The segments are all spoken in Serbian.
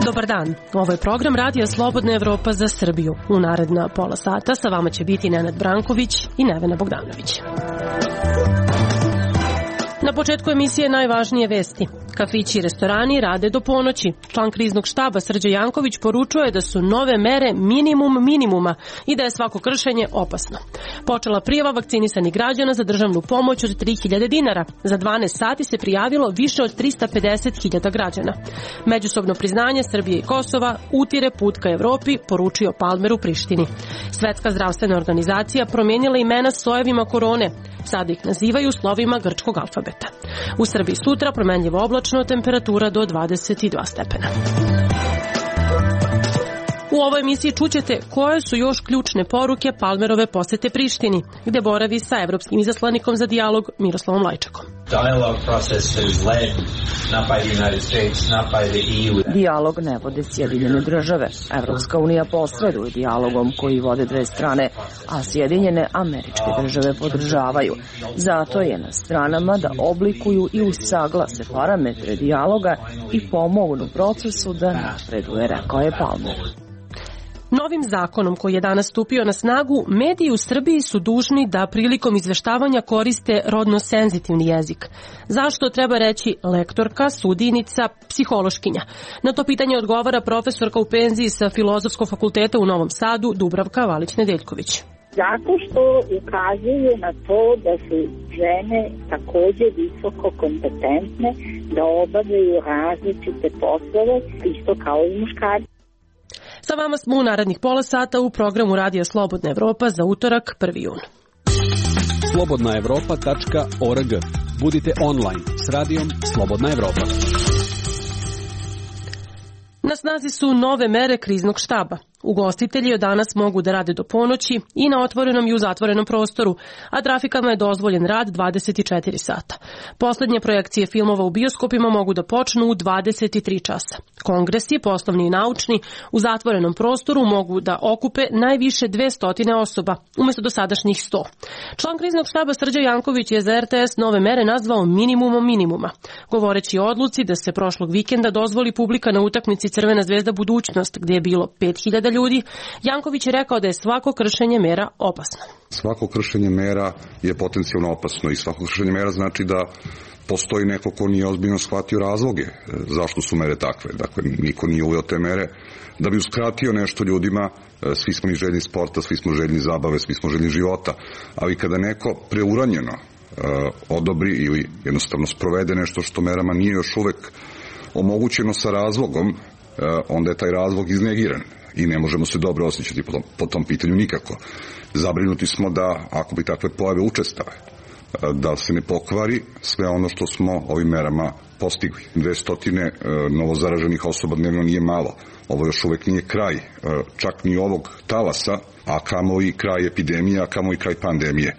Dobar dan, ovo je program Radija Slobodna Evropa za Srbiju. U naredna pola sata sa vama će biti Nenad Branković i Nevena Bogdanović. Na početku emisije najvažnije vesti. Kafići i restorani rade do ponoći. Član kriznog štaba Srđa Janković poručuje da su nove mere minimum minimuma i da je svako kršenje opasno. Počela prijava vakcinisanih građana za državnu pomoć od 3.000 dinara. Za 12 sati se prijavilo više od 350.000 građana. Međusobno priznanje Srbije i Kosova utire put ka Evropi, poručio Palmer u Prištini. Svetska zdravstvena organizacija promijenila imena sojevima korone. Sada ih nazivaju slovima grčkog alfabeta. U Srbiji sutra promenljivo oblačno, temperatura do 22 stepena. U ovoj emisiji čućete koje su još ključne poruke Palmerove posete Prištini, gde boravi sa evropskim izaslanikom za dijalog Miroslavom Lajčakom. Dijalog ne vode Sjedinjene države. Evropska unija posreduje dijalogom koji vode dve strane, a Sjedinjene Američke države podržavaju. Zato je na stranama da oblikuju i usaglase parametre dijaloga i pomognu procesu da napreduje, rekao je Palmer. Novim zakonom koji je danas stupio na snagu, mediji u Srbiji su dužni da prilikom izveštavanja koriste rodno senzitivni jezik. Zašto treba reći lektorka, sudijnica, psihološkinja? Na to pitanje odgovara profesorka u penziji sa Filozofskog fakulteta u Novom Sadu, Dubravka Valić-Nedeljković. Zato što ukazuju na to da su žene takođe visoko kompetentne, da obavljaju različite poslove, isto kao i muškarci. Sa vama smo u narednih pola sata u programu Radija Slobodna Evropa za utorak 1. jun. slobodnaevropa.org. Budite online s radijom Slobodna Evropa. Na snazi su nove mere kriznog štaba. Ugostitelji od danas mogu da rade do ponoći i na otvorenom i u zatvorenom prostoru, a trafikama je dozvoljen rad 24 sata. Poslednje projekcije filmova u bioskopima mogu da počnu u 23 časa. Kongresi, poslovni i naučni, u zatvorenom prostoru mogu da okupe najviše 200 osoba, umesto dosadašnjih 100. Član kriznog štaba Srđa Janković je za RTS nove mere nazvao minimumom minimuma. Govoreći o odluci da se prošlog vikenda dozvoli publika na utakmici Crvena zvezda Budućnost, gdje je bilo 5.000 ljudi, Janković je rekao da je svako kršenje mera opasno. Svako kršenje mera je potencijalno opasno i svako kršenje mera znači da postoji neko ko nije ozbiljno shvatio razloge zašto su mere takve. Dakle, niko nije uveo te mere da bi uskratio nešto ljudima. Svi smo mi željni sporta, svi smo željni zabave, svi smo željni života, ali kada neko preuranjeno odobri ili jednostavno sprovede nešto što merama nije još uvek omogućeno sa razlogom, onda je taj razlog iznegiran i ne možemo se dobro osjećati po tom pitanju nikako. Zabrinuti smo da, ako bi takve pojave učestale, da se ne pokvari sve ono što smo ovim merama postigli. 200 novozaraženih osoba dnevno nije malo. Ovo još uvek nije kraj, čak ni ovog talasa, a kamo i kraj epidemije, a kamo i kraj pandemije.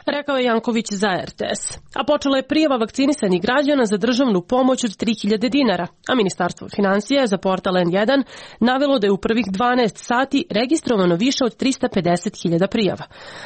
Rekao je Janković za RTS. A počela je prijava vakcinisanih građana za državnu pomoć od 3.000 dinara, a Ministarstvo finansija je za portal N1 navelo da je u prvih 12 sati registrovano više od 350.000 prijava.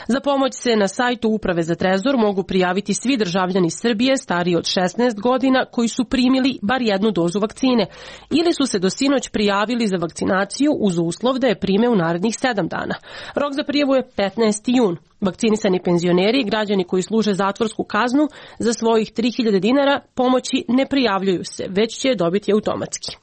Za pomoć se na sajtu Uprave za trezor mogu prijaviti svi državljani Srbije stariji od 16 godina koji su primili bar jednu dozu vakcine ili su se do sinoć prijavili za vakcinaciju uz uslov da je prime u narednih 7 dana. Rok za prijavu je 15. jun. Vakcinisani penzioneri i građani koji služe zatvorsku kaznu za svojih 3.000 dinara pomoći ne prijavljuju se, već će je dobiti automatski.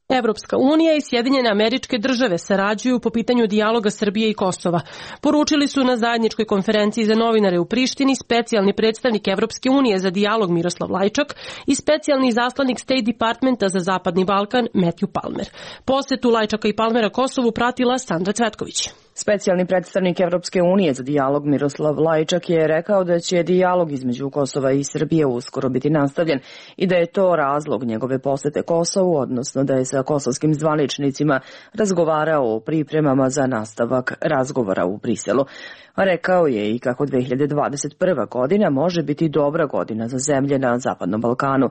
Evropska unija i Sjedinjene Američke države sarađuju po pitanju dijaloga Srbije i Kosova. Poručili su na zajedničkoj konferenciji za novinare u Prištini specijalni predstavnik Evropske unije za dijalog Miroslav Lajčak i specijalni izaslanik State Departmenta za Zapadni Balkan Matthew Palmer. Posetu Lajčaka i Palmera Kosovu pratila Sandra Cvetković. Specijalni predstavnik Evropske unije za dijalog Miroslav Lajčak je rekao da će dijalog između Kosova i Srbije uskoro biti nastavljen i da je to razlog njegove posete Kosovu, odnosno da je sa kosovskim zvaničnicima razgovarao o pripremama za nastavak razgovora u Briselu. Rekao je i kako 2021. godina može biti dobra godina za zemlje na Zapadnom Balkanu.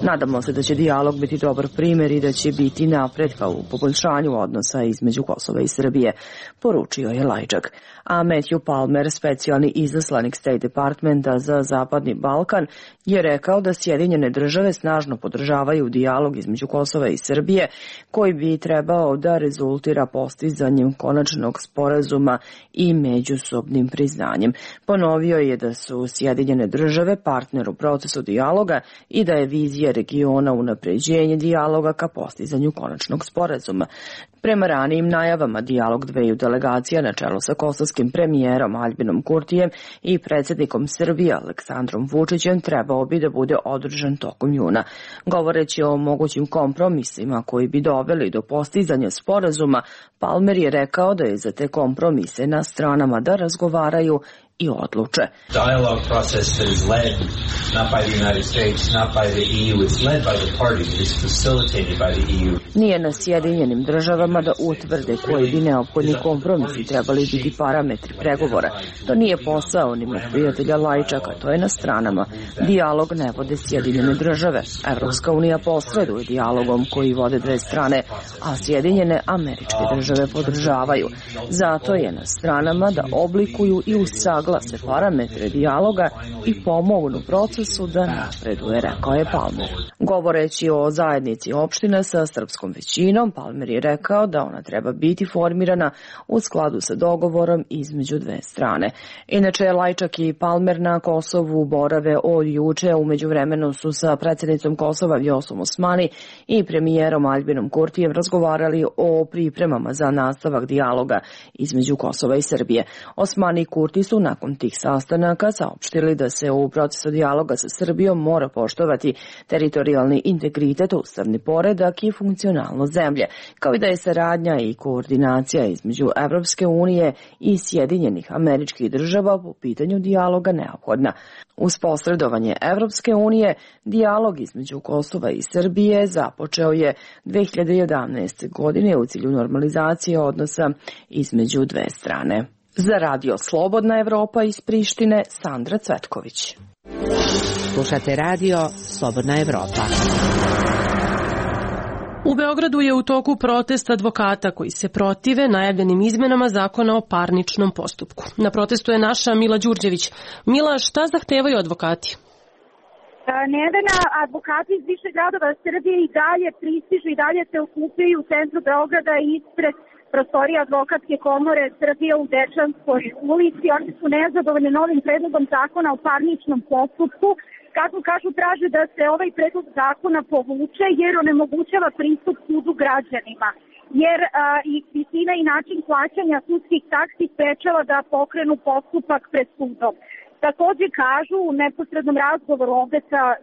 Nadamo se da će dijalog biti dobar primjer i da će biti napretka u poboljšanju odnosa između Kosova i Srbije, poručio je Lajčak. A Matthew Palmer, specijalni izaslanik State Departmenta za Zapadni Balkan, je rekao da Sjedinjene države snažno podržavaju dijalog između Kosova i Srbije, koji bi trebao da rezultira postizanjem konačnog sporazuma i međusobnim priznanjem. Ponovio je da su Sjedinjene države partner u procesu dijaloga i da je vizija regiona unapređenje dijaloga ka postizanju konačnog sporazuma. Prema ranijim najavama, dijalog dveju delegacija na čelu sa kosovskim premijerom Aljbinom Kurtijem i predsjednikom Srbije Aleksandrom Vučićem trebao bi da bude održan tokom juna. Govoreći o mogućim kompromisima koji bi doveli do postizanja sporazuma, Palmer je rekao da je za te kompromise na stranama da razgovaraju i odluče. Dialogue process that is led not by the United States, not by the EU, it's led by the parties, it's facilitated by the EU. Nije na Sjedinjenim državama da utvrde koji bi neophodni kompromisi trebali biti parametri pregovora. To nije posao ni mog prijatelja Lajčaka, to je na stranama. Dijalog ne vode Sjedinjene države. Evropska unija posreduje dijalogom koji vode dve strane, a Sjedinjene Američke države podržavaju. Zato je na stranama da oblikuju i usaglase parametre dijaloga i pomognu procesu da napreduje, rekao je Palmer. Govoreći o zajednici opština sa srpskom većinom, Palmer je rekao da ona treba biti formirana u skladu sa dogovorom između dve strane. Inače, Lajčak i Palmer na Kosovu borave od juče, u međuvremenu su sa predsjednicom Kosova Vjosom Osmani i premijerom Aljbinom Kurtijem razgovarali o pripremama za nastavak dijaloga između Kosova i Srbije. Osmani i Kurti su nakon tih sastanaka saopštili da se u procesu dijaloga sa Srbijom mora poštovati teritorijalni integritet, ustavni poredak i funkcionalnost zemlje, kao i da je saradnja i koordinacija između Evropske unije i Sjedinjenih Američkih država po pitanju dijaloga neophodna. Uz posredovanje Evropske unije, dijalog između Kosova i Srbije započeo je 2011. godine u cilju normalizacije odnosa između dve strane. Za Radio Slobodna Evropa iz Prištine, Sandra Cvetković. Slušate Radio Slobodna Evropa. U Beogradu je u toku protest advokata koji se protive najavljenim izmenama zakona o parničnom postupku. Na protestu je naša Mila Đurđević. Mila, šta zahtevaju advokati? Nevena, advokati iz više gradova Srbije i dalje pristižu i dalje se okupljaju u centru Beograda ispred prostorija advokatske komore Srbije u Dečanskoj ulici. Oni su nezadovoljni novim predlogom zakona o parničnom postupku. Kako kažu, traže da se ovaj predlog zakona povuče jer onemogućava pristup sudu građanima. Jer i visina i način plaćanja sudskih taksi sprečava da pokrenu postupak pred sudom. Takođe kažu u neposrednom razgovoru ovde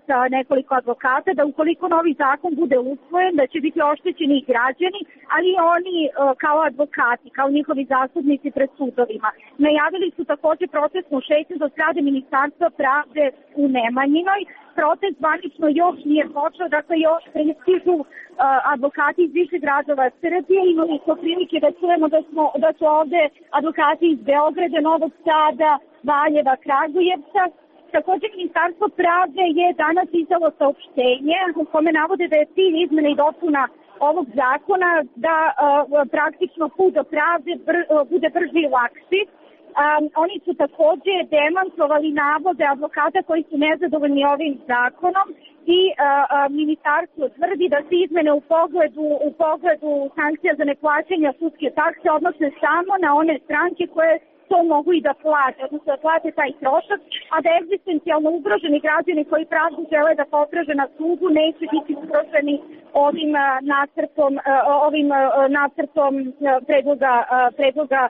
sa nekoliko advokata da ukoliko novi zakon bude usvojen, da će biti oštećeni i građani, ali i oni kao advokati, kao njihovi zastupnici pred sudovima. Najavili su takođe protestnu šetnju do zgrade Ministarstva pravde u Nemanjinoj. Protest zvanično još nije počeo, dakle još pristižu advokati iz više gradova Srbije. Imali smo prilike da čujemo da su ovde advokati iz Beograda, Novog Sada, Valjeva, Kragujevca. Takođe, Ministarstvo pravde je danas izdalo saopštenje u kome navode da je cilj izmene i dopuna ovog zakona da praktično put do pravde bude brži i lakši. Oni su takođe demantovali navode advokata koji su nezadovoljni ovim zakonom i ministarstvo tvrdi da se izmene u pogledu sankcija za neplaćanje sudske takse odnose samo na one stranke koje to mogu i da plate, odnosno da plate taj trošak, a da egzistencijalno ugroženi građani koji pravdu žele da potraže na sudu neće biti ugroženi ovim nacrtom predloga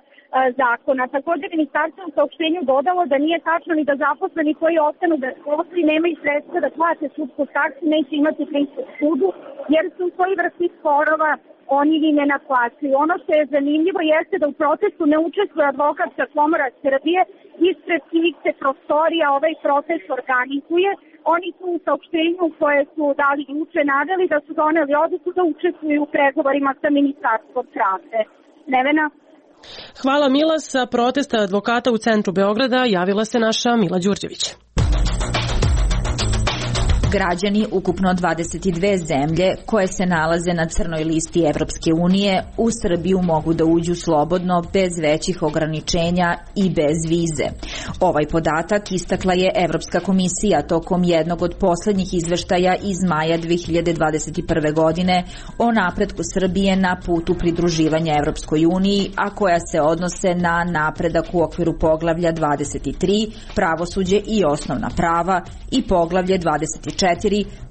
zakona. Također, ministarstvo u saopštenju dodalo da nije tačno ni da zaposleni koji ostanu bez posla i nemaju sredstva da plate sudsku taksu neće imati pristup sudu, jer su u svoj vrsti sporova oni ni ne naplaćuju. Ono što je zanimljivo jeste da u protestu ne učestvuje Advokatska komora Srbije, ispred čijih se prostorija ovaj protest organizuje. Oni su u saopštenju koje su dali juče naveli da su doneli odluku da učestvuju u pregovorima sa Ministarstvom pravde. Nevena? Hvala Mila. Sa protesta advokata u centru Beograda javila se naša Mila Đurđević. Građani ukupno 22 zemlje koje se nalaze na crnoj listi Evropske unije u Srbiju mogu da uđu slobodno, bez većih ograničenja i bez vize. Ovaj podatak istakla je Evropska komisija tokom jednog od poslednjih izveštaja iz maja 2021. godine o napretku Srbije na putu pridruživanja Evropskoj uniji, a koja se odnose na napredak u okviru poglavlja 23, pravosuđe i osnovna prava, i poglavlje 24,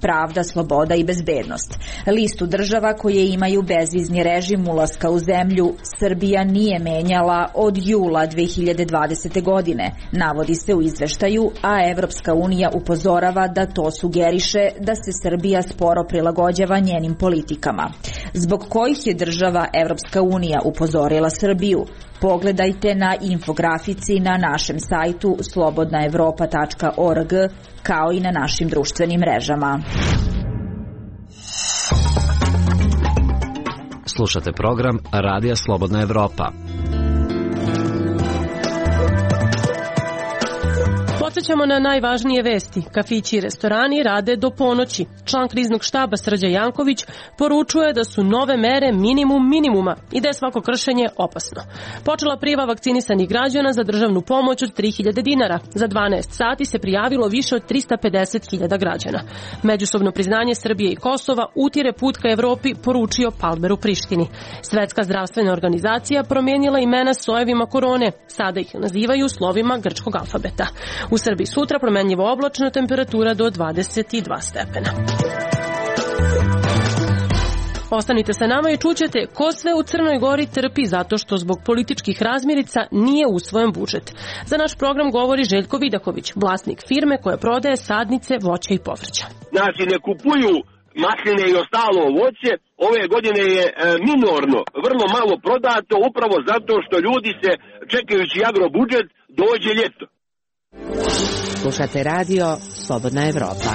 pravda, sloboda i bezbednost. Listu država koje imaju bezvizni režim ulaska u zemlju Srbija nije menjala od jula 2020. godine, navodi se u izveštaju, a Evropska unija upozorava da to sugeriše da se Srbija sporo prilagođava njenim politikama. Zbog kojih je država Evropska unija upozorila Srbiju? Pogledajte na infografici na našem sajtu slobodnaevropa.org, kao i na našim društvenim mrežama. Slušate program Radija Slobodna Evropa. Podsjećamo na najvažnije vesti. Kafići i restorani rade do ponoći. Član kriznog štaba Srđan Janković poručuje da su nove mere minimum minimuma i da je svako kršenje opasno. Počela prijava vakcinisanih građana za državnu pomoć od 3000 dinara. Za 12 sati se prijavilo više od 350.000 građana. Međusobno priznanje Srbije i Kosova utire put ka Evropi, poručio Palmer u Prištini. Svetska zdravstvena organizacija promijenila imena sojevima korone. Sada ih nazivaju slovima grčkog alfabeta. U Srbiji sutra promenljivo oblačno, temperatura do 22 stepena. Ostanite sa nama i čućete ko sve u Crnoj Gori trpi zato što zbog političkih razmirica nije usvojen budžet. Za naš program govori Željko Vidaković, vlasnik firme koja prodaje sadnice, voća i povrća. Znači ne kupuju masline i ostalo voće, ove godine je minorno, vrlo malo prodato, upravo zato što ljudi se, čekajući agrobudžet, dođe ljeto. Slušate radio Slobodna Evropa.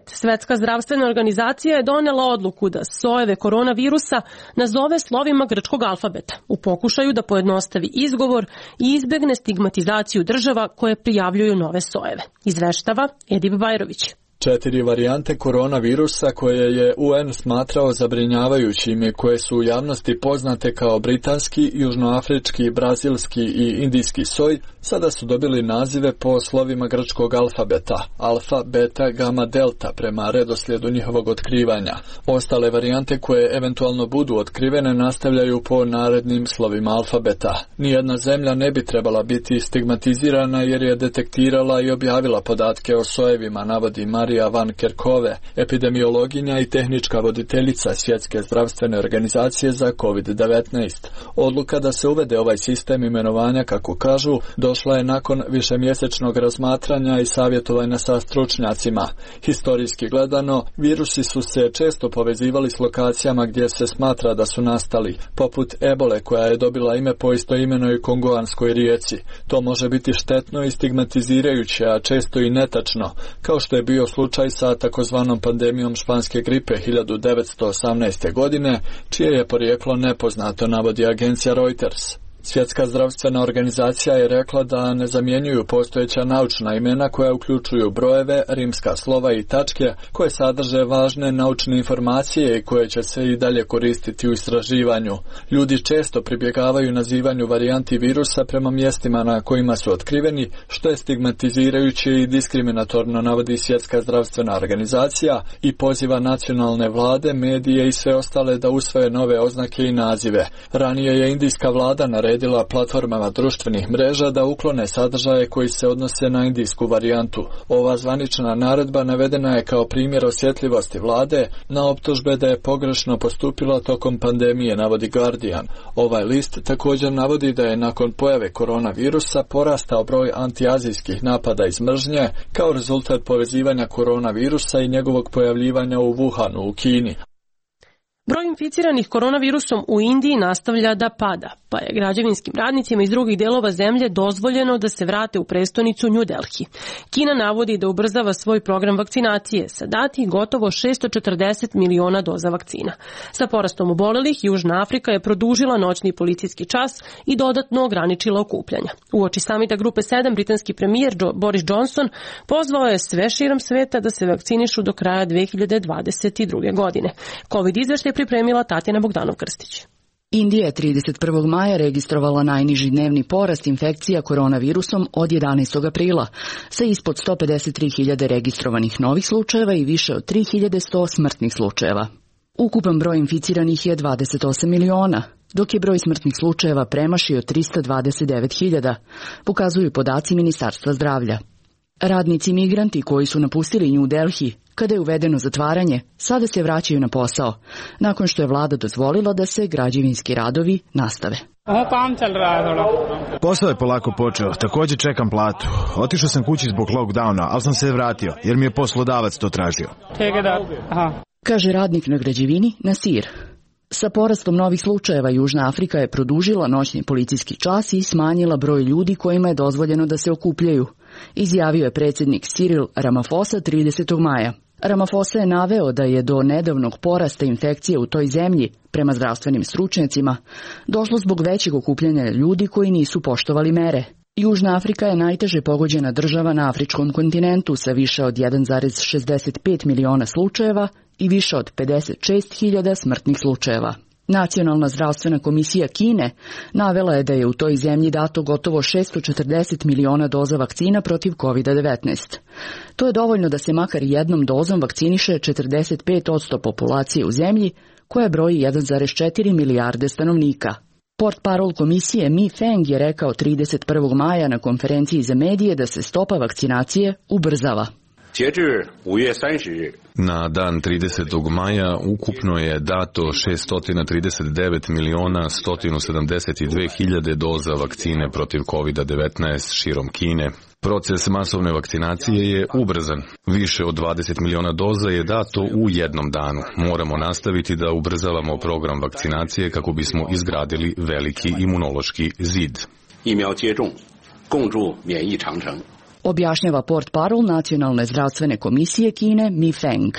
Svetska zdravstvena organizacija je donela odluku da sojeve koronavirusa nazove slovima grčkog alfabeta u pokušaju da pojednostavi izgovor i izbegne stigmatizaciju država koje prijavljuju nove sojeve. Izveštava Edip Bajrović. 4 varijante koronavirusa koje je UN smatrao zabrinjavajućim i koje su u javnosti poznate kao britanski, južnoafrički, brazilski i indijski soj, sada su dobili nazive po slovima grčkog alfabeta, alfa, beta, gama, delta, prema redoslijedu njihovog otkrivanja. Ostale varijante koje eventualno budu otkrivene nastavljaju po narednim slovima alfabeta. Nijedna zemlja ne bi trebala biti stigmatizirana jer je detektirala i objavila podatke o sojevima, navodi Marija Van Kerkove, epidemiologinja i tehnička voditeljica Svjetske zdravstvene organizacije za COVID-19. Odluka da se uvede ovaj sistem imenovanja, kako kažu, došla je nakon višemjesečnog razmatranja i savjetovanja sa stručnjacima. Historijski gledano, virusi su se često povezivali s lokacijama gdje se smatra da su nastali, poput ebole koja je dobila ime po istoimenoj kongoanskoj rijeci. To može biti štetno i stigmatizirajuće, a često i netačno, kao što je bio slučaj sa takozvanom pandemijom španske gripe 1918. godine, čije je porijeklo nepoznato, navodi agencija Reuters. Svjetska zdravstvena organizacija je rekla da ne zamjenjuju postojeća naučna imena koja uključuju brojeve, rimska slova i tačke koje sadrže važne naučne informacije i koje će se i dalje koristiti u istraživanju. Ljudi često pribjegavaju nazivanju varijanti virusa prema mjestima na kojima su otkriveni, što je stigmatizirajuće i diskriminatorno, navodi Svjetska zdravstvena organizacija i poziva nacionalne vlade, medije i sve ostale da usvoje nove oznake i nazive. Ranije je indijska vlada naredila naredila platformama društvenih mreža da uklone sadržaje koji se odnose na indijsku varijantu. Ova zvanična naredba navedena je kao primjer osjetljivosti vlade na optužbe da je pogrešno postupila tokom pandemije, navodi Guardian. Ovaj list također navodi da je nakon pojave koronavirusa porastao broj antiazijskih napada iz mržnje kao rezultat povezivanja koronavirusa i njegovog pojavljivanja u Wuhanu u Kini. Broj inficiranih koronavirusom u Indiji nastavlja da pada, pa je građevinskim radnicima iz drugih delova zemlje dozvoljeno da se vrate u prestonicu New Delhi. Kina navodi da ubrzava svoj program vakcinacije sa dati gotovo 640 miliona doza vakcina. Sa porastom obolelih, Južna Afrika je produžila noćni policijski čas i dodatno ograničila okupljanja. Uoči samita grupe 7, britanski premijer Boris Johnson pozvao je sve širom sveta da se vakcinišu do kraja 2022. godine. Covid izveštaj pripremila Tatjana Bogdanov-Krstić. Indija je 31. maja registrovala najniži dnevni porast infekcija koronavirusom od 11. aprila, sa ispod 153.000 registrovanih novih slučajeva i više od 3.100 smrtnih slučajeva. Ukupan broj inficiranih je 28 miliona, dok je broj smrtnih slučajeva premašio 329.000, pokazuju podaci Ministarstva zdravlja. Radnici migranti koji su napustili New Delhi kada je uvedeno zatvaranje, sada se vraćaju na posao, nakon što je vlada dozvolila da se građevinski radovi nastave. Posao je polako počeo, također čekam platu. Otišao sam kući zbog lockdowna, ali sam se vratio, jer mi je poslodavac to tražio. Kaže radnik na građevini Nasir. Sa porastom novih slučajeva Južna Afrika je produžila noćni policijski čas i smanjila broj ljudi kojima je dozvoljeno da se okupljaju, izjavio je predsjednik Cyril Ramaphosa 30. maja. Ramaphosa je naveo da je do nedavnog porasta infekcije u toj zemlji, prema zdravstvenim stručnjacima, došlo zbog većeg okupljanja ljudi koji nisu poštovali mere. Južna Afrika je najteže pogođena država na afričkom kontinentu sa više od 1,65 miliona slučajeva i više od 56.000 smrtnih slučajeva. Nacionalna zdravstvena komisija Kine navela je da je u toj zemlji dato gotovo 640 miliona doza vakcina protiv COVID-19. To je dovoljno da se makar jednom dozom vakciniše 45% populacije u zemlji, koja broji 1,4 milijarde stanovnika. Portparol komisije Mi Feng je rekao 31. maja na konferenciji za medije da se stopa vakcinacije ubrzava. Na dan 30. maja ukupno je dato 639.172.000 doza vakcine protiv COVID-19 širom Kine. Proces masovne vakcinacije je ubrzan. Više od 20 miliona doza je dato u jednom danu. Moramo nastaviti da ubrzavamo program vakcinacije kako bismo izgradili veliki imunološki zid. Objašnjava portparol Nacionalne zdravstvene komisije Kine Mi Feng.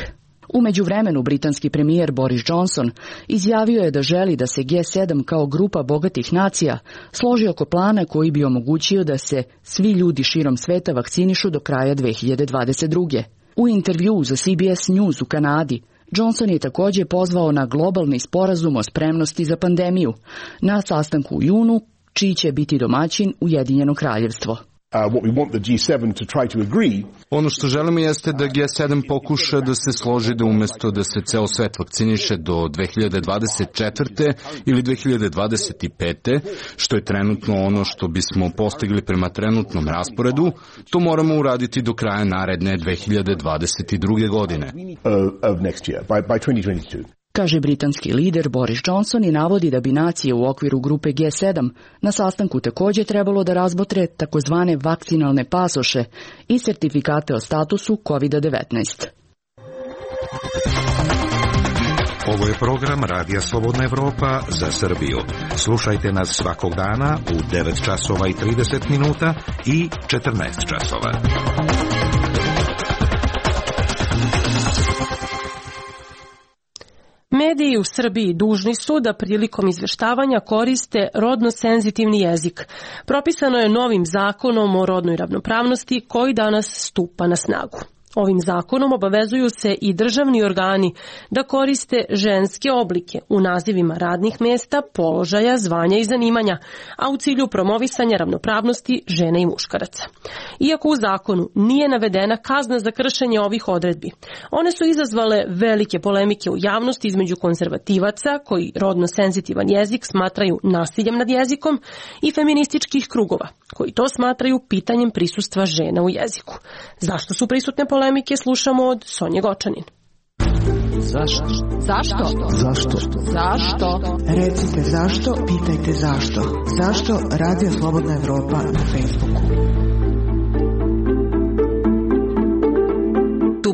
U međuvremenu britanski premijer Boris Johnson izjavio je da želi da se G7 kao grupa bogatih nacija složi oko plana koji bi omogućio da se svi ljudi širom sveta vakcinišu do kraja 2022. U intervjuu za CBS News u Kanadi, Johnson je također pozvao na globalni sporazum o spremnosti za pandemiju na sastanku u junu, čiji će biti domaćin Ujedinjeno kraljevstvo. Ono što želimo jeste da G7 pokuša da se složi da umjesto da se ceo svet vakciniše do 2024. ili 2025. što je trenutno ono što bismo postigli prema trenutnom rasporedu, to moramo uraditi do kraja naredne 2022. godine. Kaže britanski lider Boris Johnson i navodi da bi nacije u okviru grupe G7 na sastanku također trebalo da razmotre takozvane vakcinalne pasoše i sertifikate o statusu COVID-19. Ovo je program Radija Slobodna Evropa za Srbiju. Slušajte nas svakog dana u 9 časova i 30 minuta i 14 časova. Mediji u Srbiji dužni su da prilikom izveštavanja koriste rodno senzitivni jezik. Propisano je novim zakonom o rodnoj ravnopravnosti koji danas stupa na snagu. Ovim zakonom obavezuju se i državni organi da koriste ženske oblike u nazivima radnih mesta, položaja, zvanja i zanimanja, a u cilju promovisanja ravnopravnosti žena i muškaraca. Iako u zakonu nije navedena kazna za kršenje ovih odredbi, one su izazvale velike polemike u javnosti između konzervativaca koji rodno senzitivan jezik smatraju nasiljem nad jezikom i feminističkih krugova koji to smatraju pitanjem prisustva žena u jeziku. Zašto su prisutne polemike, slušamo od Sonje Gočanin. Zašto? Zašto? Zašto? Zašto? Recite zašto, pitajte zašto. Zašto Radio Slobodna Evropa na Facebooku?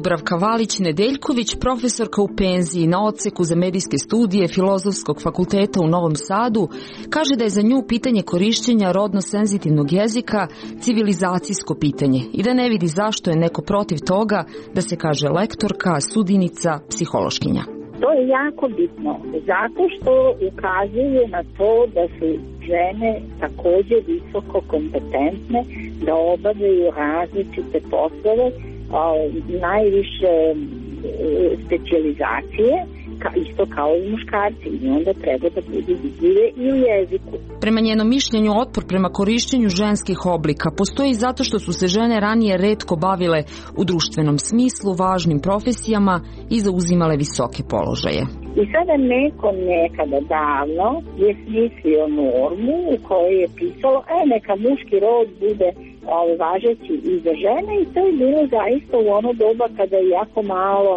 Dubravka Valić-Nedeljković, profesorka u penziji na odseku za medijske studije Filozofskog fakulteta u Novom Sadu, kaže da je za nju pitanje korišćenja rodno-senzitivnog jezika civilizacijsko pitanje i da ne vidi zašto je neko protiv toga da se kaže lektorka, sudinica, psihološkinja. To je jako bitno, zato što ukazuje na to da su žene takođe visoko kompetentne da obavljaju različite poslove, najviše specijalizacije, isto kao i muškarci, i onda treba da budu vidljive i u jeziku. Prema njenom mišljenju, otpor prema korišćenju ženskih oblika postoji zato što su se žene ranije retko bavile u društvenom smislu važnim profesijama i zauzimale visoke položaje. I sada neko nekada davno je smislio normu u kojoj je pisalo neka muški rod bude važeći i za žene, i to je bilo zaista u ono doba kada je jako malo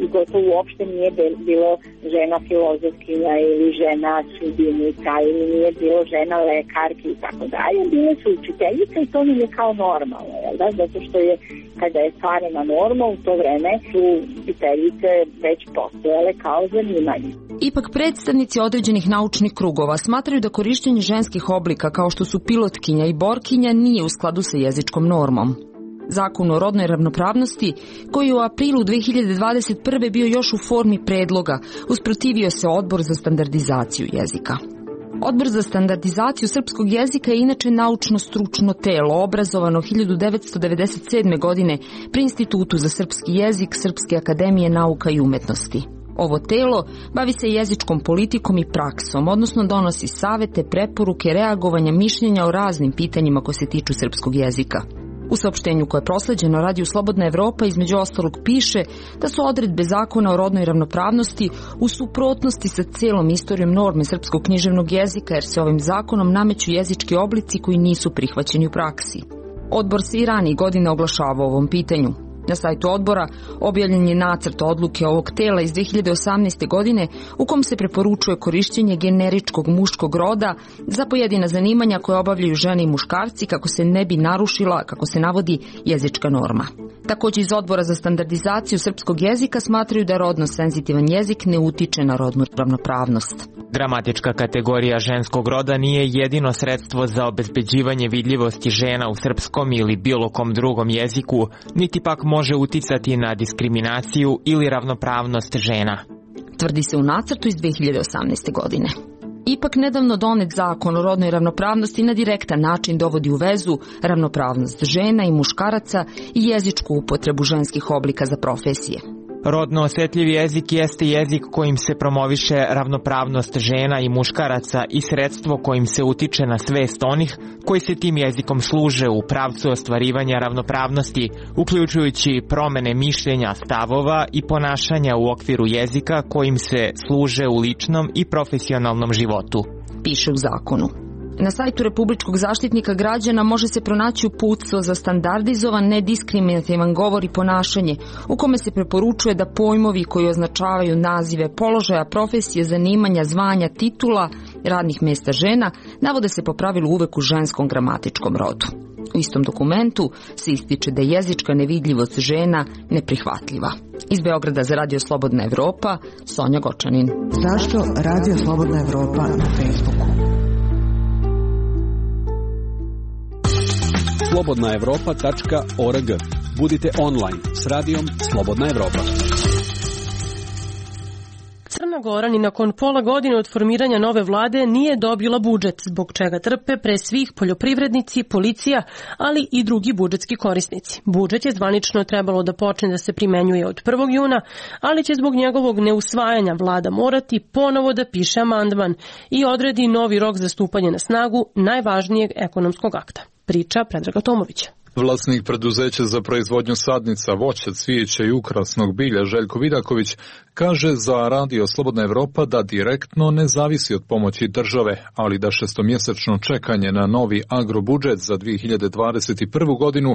i gotovo uopšte nije bilo žena filozofkinja ili žena sudinica ili nije bilo žena lekarki i tako dalje. Bile su učiteljice i to mi je kao normalno, jel da? Zato što je, kada je stvarena norma, u to vreme su učiteljice već postojale kao zanimanje. Ipak predstavnici određenih naučnih krugova smatraju da korišćenje ženskih oblika kao što su pilotkinja i borkinja nije u skladu sa jezičkom normom. Zakon o rodnoj ravnopravnosti, koji je u aprilu 2021. bio još u formi predloga, usprotivio se Odbor za standardizaciju jezika. Odbor za standardizaciju srpskog jezika je inače naučno-stručno telo, obrazovano 1997. godine pri Institutu za srpski jezik Srpske akademije nauka i umetnosti. Ovo telo bavi se jezičkom politikom i praksom, odnosno donosi savete, preporuke, reagovanja, mišljenja o raznim pitanjima koje se tiču srpskog jezika. U saopštenju koje je prosleđeno Radiju Slobodna Evropa između ostalog piše da su odredbe zakona o rodnoj ravnopravnosti u suprotnosti sa celom istorijom norme srpskog književnog jezika, jer se ovim zakonom nameću jezički oblici koji nisu prihvaćeni u praksi. Odbor se i ranije godine oglašavao o ovom pitanju. Na sajtu odbora objavljen je nacrt odluke ovog tela iz 2018. godine u kom se preporučuje korišćenje generičkog muškog roda za pojedina zanimanja koje obavljaju žene i muškarci kako se ne bi narušila, kako se navodi, jezička norma. Takođe iz Odbora za standardizaciju srpskog jezika smatraju da rodno senzitivan jezik ne utiče na rodnu ravnopravnost. Gramatička kategorija ženskog roda nije jedino sredstvo za obezbeđivanje vidljivosti žena u srpskom ili bilo kom drugom jeziku, niti pak može uticati na diskriminaciju ili ravnopravnost žena, tvrdi se u nacrtu iz 2018. godine. Ipak nedavno donet zakon o rodnoj ravnopravnosti na direktan način dovodi u vezu ravnopravnost žena i muškaraca i jezičku upotrebu ženskih oblika za profesije. Rodno osetljiv jezik jeste jezik kojim se promoviše ravnopravnost žena i muškaraca i sredstvo kojim se utiče na svest onih koji se tim jezikom služe u pravcu ostvarivanja ravnopravnosti, uključujući promene mišljenja, stavova i ponašanja u okviru jezika kojim se služe u ličnom i profesionalnom životu, piše u zakonu. Na sajtu Republičkog zaštitnika građana može se pronaći uputstvo za standardizovan, nediskriminativan govor i ponašanje, u kome se preporučuje da pojmovi koji označavaju nazive položaja, profesije, zanimanja, zvanja, titula, radnih mesta žena, navode se po pravilu uvek u ženskom gramatičkom rodu. U istom dokumentu se ističe da je jezička nevidljivost žena neprihvatljiva. Iz Beograda za Radio Slobodna Evropa, Sonja Gočanin. Zašto Radio Slobodna Evropa na Facebooku? slobodnaevropa.org. Budite online s radijom Slobodna Evropa. Crna Crna Gora ni nakon pola godine od formiranja nove vlade nije dobila budžet, zbog čega trpe pre svih poljoprivrednici, policija, ali i drugi budžetski korisnici. Budžet je zvanično trebalo da počne da se primenjuje od 1. juna, ali će zbog njegovog neusvajanja vlada morati ponovo da piše amandman i odredi novi rok za stupanje na snagu najvažnijeg ekonomskog akta. Priča Predraga Tomovića. Vlasnik preduzeća za proizvodnju sadnica, voća, cvijeća i ukrasnog bilja Željko Vidaković kaže za Radio Slobodna Evropa da direktno ne zavisi od pomoći države, ali da šestomjesečno čekanje na novi agrobudžet za 2021. godinu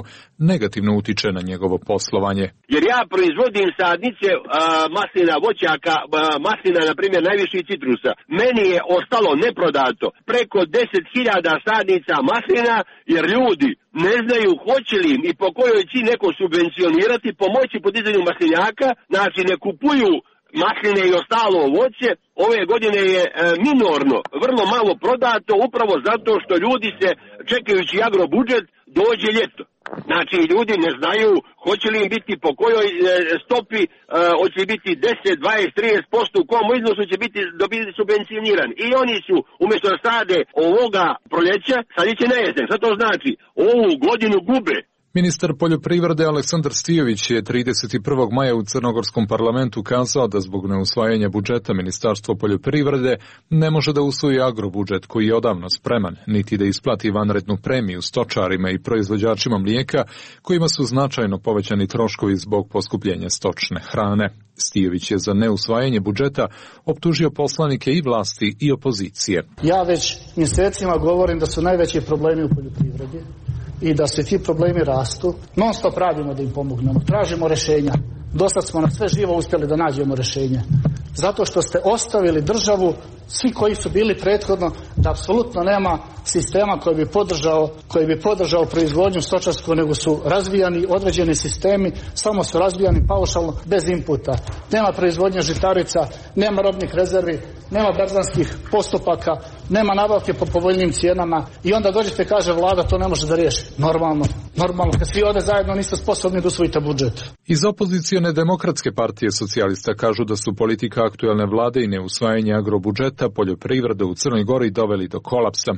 negativno utiče na njegovo poslovanje. Jer ja proizvodim sadnice maslina, voćaka, maslina, na primjer, najviše citrusa. Meni je ostalo neprodato preko 10.000 sadnica maslina, jer ljudi ne znaju hoće li im i po kojoj ci neko subvencionirati, pomoći podizanju maslinjaka, znači ne kupuju masline i ostalo voće. Ove godine je minorno, vrlo malo prodato, upravo zato što ljudi se, čekajući agrobudžet, dođe ljeto. Znači, ljudi ne znaju hoće li im biti po kojoj stopi, hoće li biti 10, 20, 30%, u kom iznosu će biti dobiti subvencionirani. I oni su, umjesto da sade ovoga proljeća, sadit će na jesen. Šta to znači? Ovu godinu gube. Ministar poljoprivrede Aleksandar Stijović je 31. maja u Crnogorskom parlamentu kazao da zbog neusvajanja budžeta Ministarstvo poljoprivrede ne može da usvoji agrobudžet koji je odavno spreman, niti da isplati vanrednu premiju stočarima i proizvođačima mlijeka kojima su značajno povećani troškovi zbog poskupljenja stočne hrane. Stijović je za neusvajanje budžeta optužio poslanike i vlasti i opozicije. Ja već mjesecima govorim da su najveći problemi u poljoprivredi i da se ti problemi rastu. Non stop radimo da im pomognemo, tražimo rješenja. Dosad smo na sve živo uspjeli da nađemo rješenje. Zato što ste ostavili državu, svi koji su bili prethodno, da apsolutno nema sistema koji bi podržao proizvodnju stočarsku, nego su razvijani određeni sistemi, samo su razvijani paušalno, bez inputa. Nema proizvodnje žitarica, nema robnih rezervi, nema berzanskih postupaka, nema nabavke po povoljnim cijenama i onda dođete, kaže vlada, to ne može da riješi. Normalno, kad svi ovdje zajedno niste sposobni da usvojite budžet. Iz opozicione demokratske partije socijalista kažu da su politika aktuelne vlade i neusvajanje agrobudžeta poljoprivrede u Crnoj Gori doveli do kolapsa.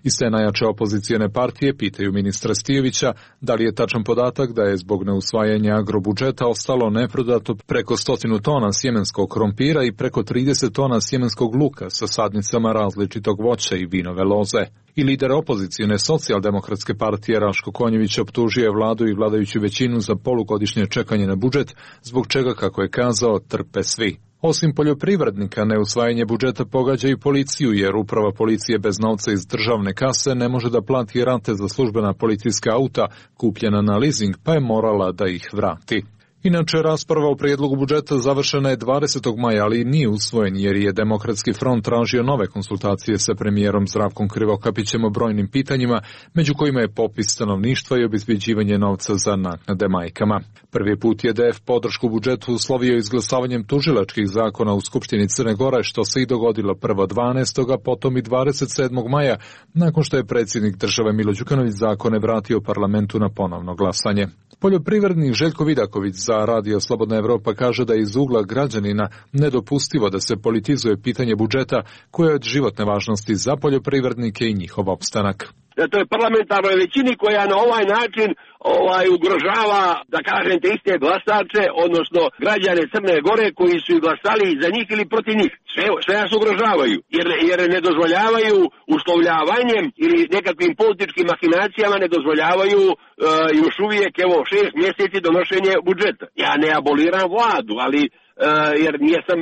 Iz te najjače opozicione partije pitaju ministra Stijovića da li je tačan podatak da je zbog neusvajanja agrobudžeta ostalo neprodato preko 100 tona sjemenskog krompira i preko 30 tona sjemenskog luka sa sadnicama različitog voća i vinove loze. I lider opozicione socijaldemokratske partije Raško Konjević optužio je vladu i vladajuću većinu za polugodišnje čekanje na budžet, zbog čega, kako je kazao, trpe svi. Osim poljoprivrednika, neusvajanje budžeta pogađa i policiju, jer uprava policije bez novca iz državne kase ne može da plati rate za službena policijska auta kupljena na leasing, pa je morala da ih vrati. Inače, rasprava o prijedlogu budžeta završena je 20. maja, ali nije usvojen jer je Demokratski front tražio nove konsultacije sa premijerom Zdravkom Krivokapićem o brojnim pitanjima, među kojima je popis stanovništva i obezbeđivanje novca za naknade majkama. Prvi put je DF podršku budžetu uslovio izglasavanjem tužilačkih zakona u Skupštini Crne Gore, što se i dogodilo prvo 12. a potom i 27. maja, nakon što je predsjednik države Milo Đukanović zakone vratio parlamentu na ponovno glasanje. Poljoprivrednik Željko Vidaković za Radio Slobodna Evropa kaže da je iz ugla građanina nedopustivo da se politizuje pitanje budžeta koje je od životne važnosti za poljoprivrednike i njihov opstanak. To je parlamentarnoj većini koja na ovaj način ugrožava, da kažem, te iste glasače, odnosno građane Crne Gore koji su i glasali za njih ili protiv njih. Sve nas ugrožavaju, jer ne dozvoljavaju uslovljavanjem ili nekakvim političkim mahinacijama, ne dozvoljavaju još uvijek 6 mjeseci donošenje budžeta. Ja ne aboliram vladu, ali jer nijesam,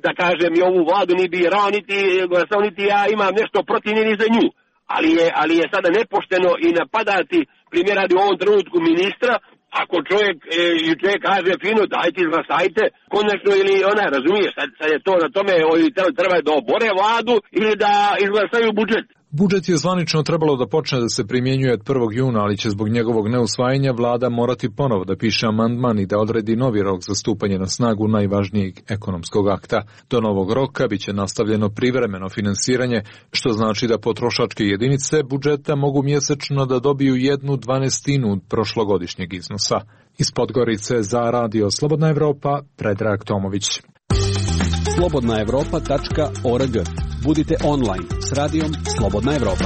da kažem, i ovu vladu ni birao, niti glasao, niti ja imam nešto protiv ni za nju. Ali je sada nepošteno i napadati, primjer radi u ovom trenutku ministra, ako čovjek kaže fino, dajte izglasajte, konačno ili ona, razumije, sad je to na tome, treba da obore vladu ili da izglasaju budžet. Budžet je zvanično trebalo da počne da se primjenjuje od 1. juna, ali će zbog njegovog neusvajanja vlada morati ponovo da piše amandman i da odredi novi rok za stupanje na snagu najvažnijeg ekonomskog akta. Do novog roka biće nastavljeno privremeno finansiranje, što znači da potrošačke jedinice budžeta mogu mjesečno da dobiju 1/12 prošlogodišnjeg iznosa. Iz Podgorice za Radio Slobodna Evropa, Predrag Tomović. slobodnaevropa.org. Budite online s radijom Slobodna Evropa.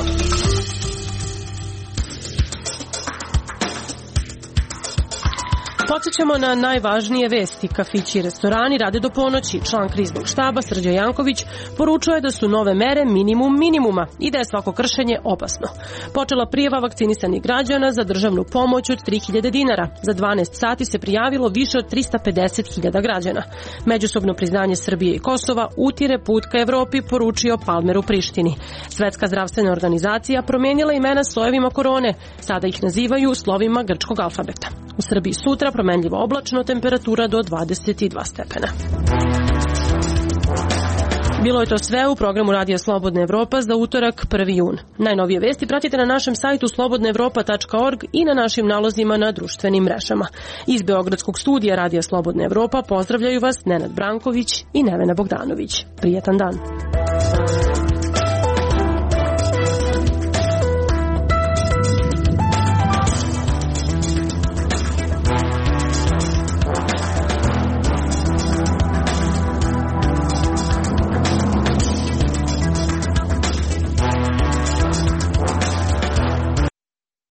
Podsjećamo na najvažnije vesti. Kafići i restorani rade do ponoći. Član kriznog štaba Srđan Janković poručuje da su nove mere minimum minimuma i da je svako kršenje opasno. Počela prijava vakcinisanih građana za državnu pomoć od 3000 dinara. Za 12 sati se prijavilo više od 350.000 građana. Međusobno priznanje Srbije i Kosova utire put ka Evropi, poručio Palmer u Prištini. Svetska zdravstvena organizacija promijenila imena slojevima korone. Sada ih nazivaju slovima grčkog alfabeta. U Srbiji sutra promenljivo oblačno, temperatura do 22 stepena. Bilo je to sve u programu Radija Slobodna Evropa za utorak 1. jun. Najnovije vesti pratite na našem sajtu slobodnaevropa.org i na našim nalozima na društvenim mrežama. Iz Beogradskog studija Radija Slobodna Evropa pozdravljaju vas Nenad Branković i Nevena Bogdanović. Prijetan dan.